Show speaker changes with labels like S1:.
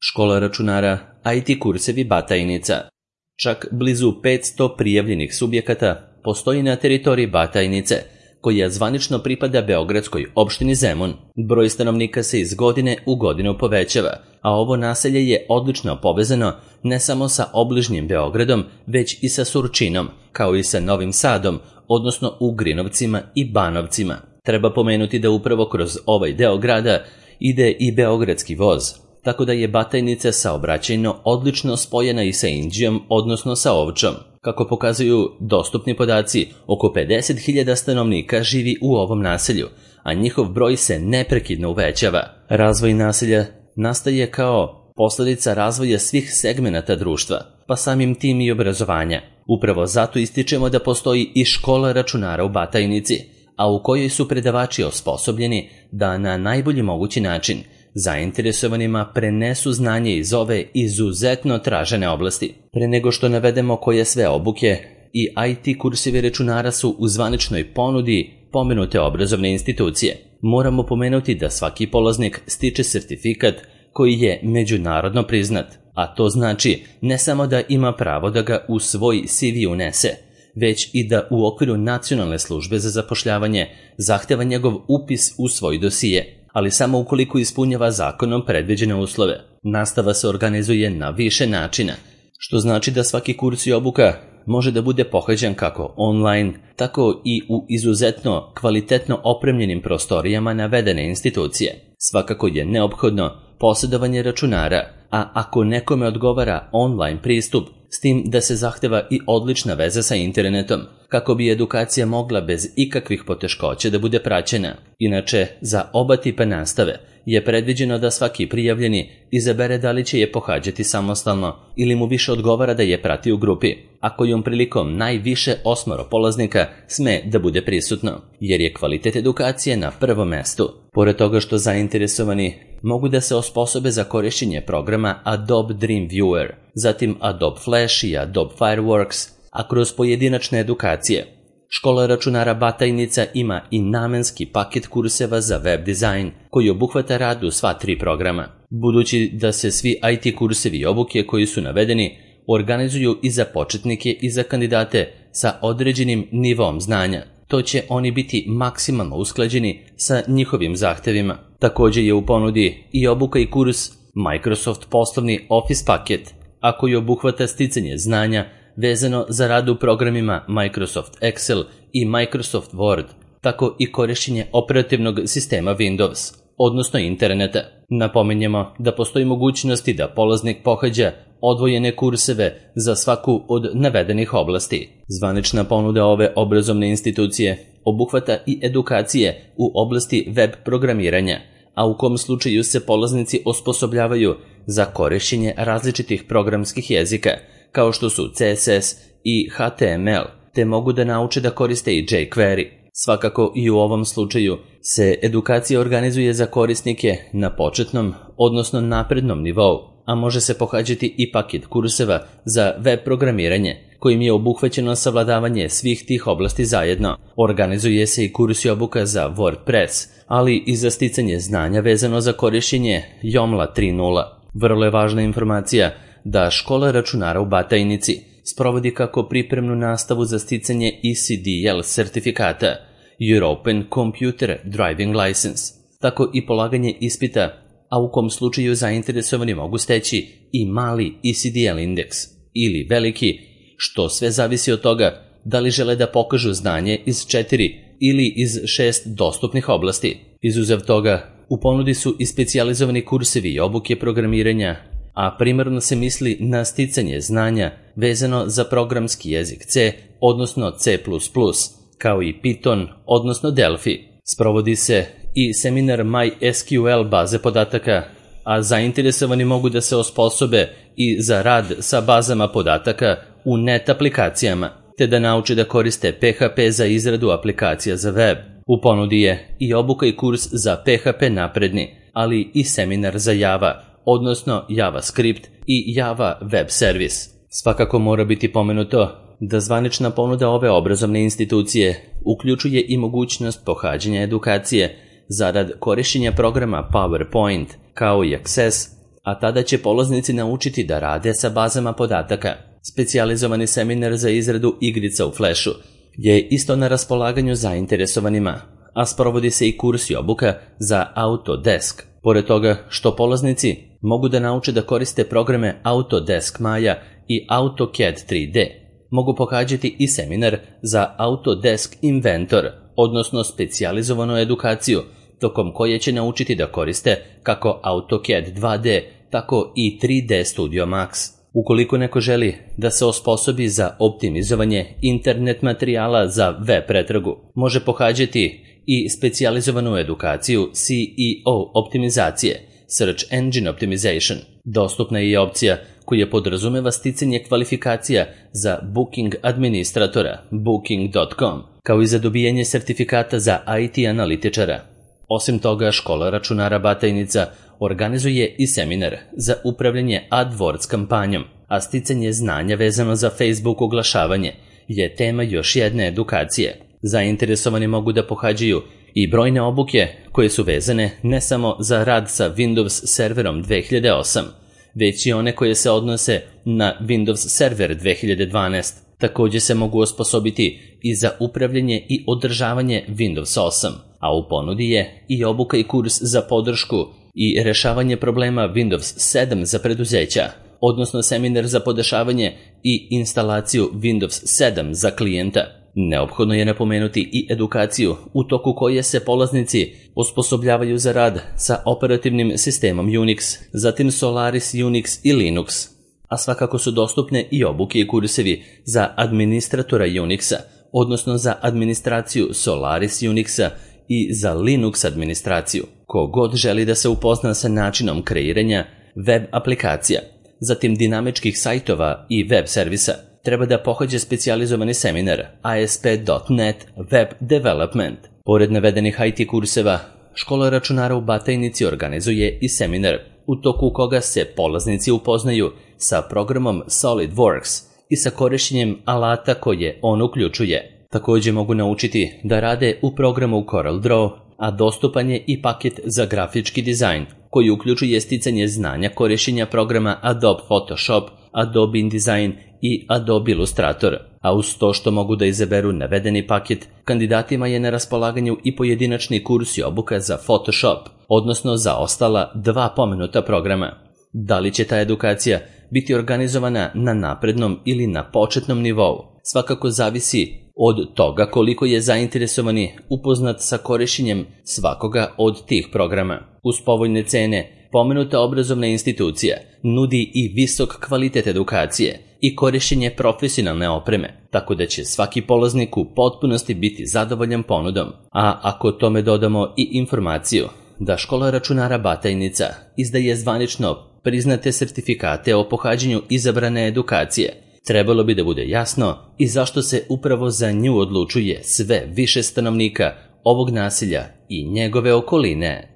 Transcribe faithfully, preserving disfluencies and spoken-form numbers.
S1: Škola računara, I T kursevi Batajnica. Čak blizu petsto prijavljenih subjekata postoji na teritoriji Batajnice, koja zvanično pripada beogradskoj opštini Zemun. Broj stanovnika se iz godine u godinu povećava, a ovo naselje je odlično povezano ne samo sa obližnjim Beogradom, već i sa Surčinom, kao i sa Novim Sadom, odnosno Ugrinovcima i Banovcima. Treba pomenuti da upravo kroz ovaj deo grada ide i beogradski voz, tako da je Batajnica saobraćajno odlično spojena i sa Inđijom, odnosno sa Ovčom. Kako pokazuju dostupni podaci, oko pedeset hiljada stanovnika živi u ovom naselju, a njihov broj se neprekidno uvećava. Razvoj naselja nastaje kao posledica razvoja svih segmenata društva, pa samim tim i obrazovanja. Upravo zato ističemo da postoji i škola računara u Batajnici, a u kojoj su predavači osposobljeni da na najbolji mogući način zainteresovanima prenesu znanje iz ove izuzetno tražene oblasti. Pre nego što navedemo koje sve obuke i I T kursevi računara su u zvaničnoj ponudi pomenute obrazovne institucije, moramo pomenuti da svaki polaznik stiče sertifikat koji je međunarodno priznat, a to znači ne samo da ima pravo da ga u svoj C V unese, već i da u okviru Nacionalne službe za zapošljavanje zahteva njegov upis u svoj dosije, ali samo ukoliko ispunjava zakonom predviđene uslove. Nastava se organizuje na više načina, što znači da svaki kurs i obuka može da bude pohađan kako online, tako i u izuzetno kvalitetno opremljenim prostorijama navedene institucije. Svakako je neophodno posjedovanje računara, a ako nekome odgovara online pristup, s tim da se zahteva i odlična veza sa internetom, kako bi edukacija mogla bez ikakvih poteškoća da bude praćena. Inače, za oba tipa nastave je predviđeno da svaki prijavljeni izabere da li će je pohađati samostalno ili mu više odgovara da je prati u grupi, a kojom prilikom najviše osmoro polaznika sme da bude prisutno, jer je kvalitet edukacije na prvom mestu. Pored toga što zainteresovani mogu da se osposobe za korišćenje programa Adobe Dreamweaver, zatim Adobe Flash i Adobe Fireworks, a kroz pojedinačne edukacije. Škola računara Batajnica ima i namenski paket kurseva za web dizajn, koji obuhvata rad u sva tri programa. Budući da se svi I T kursevi i obuke koji su navedeni organizuju i za početnike i za kandidate sa određenim nivom znanja, to će oni biti maksimalno usklađeni sa njihovim zahtevima. Također je u ponudi i obuka i kurs Microsoft poslovni Office paket, a koji obuhvata sticanje znanja vezano za rad u programima Microsoft Excel i Microsoft Word, tako i korišćenje operativnog sistema Windows, odnosno interneta. Napominjemo da postoji mogućnosti da polaznik pohađa odvojene kurseve za svaku od navedenih oblasti. Zvanična ponuda ove obrazovne institucije obuhvata i edukacije u oblasti web programiranja, a u kom slučaju se polaznici osposobljavaju za korišćenje različitih programskih jezika, kao što su C S S i H T M L, te mogu da nauče da koriste i jQuery. Svakako i u ovom slučaju se edukacija organizuje za korisnike na početnom, odnosno naprednom nivou, a može se pohađati i paket kurseva za web programiranje, kojim je obuhvaćeno savladavanje svih tih oblasti zajedno. Organizuje se i kurs i obuka za WordPress, ali i za sticanje znanja vezano za korišćenje Joomla tri nula. Vrlo je važna informacija da škola računara u Batajnici sprovodi kako pripremnu nastavu za sticanje E C D L sertifikata European Computer Driving License, tako i polaganje ispita, a u kom slučaju zainteresovani mogu steći i mali E C D L indeks ili veliki, što sve zavisi od toga da li žele da pokažu znanje iz četiri ili iz šest dostupnih oblasti. Izuzev toga, u ponudi su i specijalizovani kursevi i obuke programiranja, a primarno se misli na sticanje znanja vezano za programski jezik C, odnosno C plus plus, kao i Python, odnosno Delphi. Sprovodi se i seminar MySQL baze podataka, a zainteresovani mogu da se osposobe i za rad sa bazama podataka u net aplikacijama, te da nauče da koriste P H P za izradu aplikacija za web. U ponudi je i obuka i kurs za P H P napredni, ali i seminar za Java, odnosno JavaScript i Java Web Service. Svakako mora biti pomenuto da zvanična ponuda ove obrazovne institucije uključuje i mogućnost pohađanja edukacije za rad korišćenja programa PowerPoint, kao i Access, a tada će polaznici naučiti da rade sa bazama podataka. Specijalizovani seminar za izradu igrica u Flashu je isto na raspolaganju zainteresovanima, a sprovodi se i kurs i obuka za Autodesk. Pored toga što polaznici mogu da nauče da koriste programe Autodesk Maya i AutoCAD tri D, mogu pohađati i seminar za Autodesk Inventor, odnosno specijalizovanu edukaciju, tokom koje će naučiti da koriste kako AutoCAD dva D, tako i tri D Studio Max. Ukoliko neko želi da se osposobi za optimizovanje internet materijala za web pretragu, može pohađati i specijalizovanu edukaciju C E O optimizacije, Search Engine Optimization. Dostupna je i opcija koja podrazumeva sticanje kvalifikacija za Booking administratora, booking dot com, kao i za dobijanje sertifikata za I T analitičara. Osim toga, škola računara Batajnica organizuje i seminar za upravljanje AdWords kampanjom, a sticanje znanja vezano za Facebook oglašavanje je tema još jedne edukacije. Zainteresovani mogu da pohađaju i brojne obuke koje su vezane ne samo za rad sa Windows serverom dve hiljade osam, već i one koje se odnose na Windows Server dve hiljade dvanaest. Također se mogu osposobiti i za upravljanje i održavanje Windows osam, a u ponudi je i obuka i kurs za podršku i rešavanje problema Windows sedam za preduzeća, odnosno seminar za podešavanje i instalaciju Windows sedam za klijenta. Neophodno je napomenuti i edukaciju u toku koje se polaznici osposobljavaju za rad sa operativnim sistemom Unix, zatim Solaris Unix i Linux, a svakako su dostupne i obuke i kursevi za administratora Unixa, odnosno za administraciju Solaris Unixa i za Linux administraciju. Kogod želi da se upozna sa načinom kreiranja web aplikacija, zatim dinamičkih sajtova i web servisa, treba da pohađe specijalizovani seminar A S P dot net Web Development. Pored navedenih I T kurseva, škola računara u Batajnici organizuje i seminar u toku koga se polaznici upoznaju sa programom SolidWorks i sa korišćenjem alata koje on uključuje. Također mogu naučiti da rade u programu CorelDRAW, a dostupan je i paket za grafički dizajn koji uključuje sticanje znanja korišćenja programa Adobe Photoshop, Adobe InDesign i Adobe Illustrator, a uz to što mogu da izaberu navedeni paket, kandidatima je na raspolaganju i pojedinačni kurs i obuka za Photoshop, odnosno za ostala dva pomenuta programa. Da li će ta edukacija biti organizovana na naprednom ili na početnom nivou, svakako zavisi od toga koliko je zainteresovani upoznat sa korišćenjem svakoga od tih programa. Uz povoljne cene, pomenuta obrazovna institucija nudi i visok kvalitet edukacije i korišćenje profesionalne opreme, tako da će svaki polaznik u potpunosti biti zadovoljan ponudom. A ako tome dodamo i informaciju da škola računara Batajnica izdaje zvanično priznate sertifikate o pohađanju izabrane edukacije, trebalo bi da bude jasno i zašto se upravo za nju odlučuje sve više stanovnika ovog naselja i njegove okoline.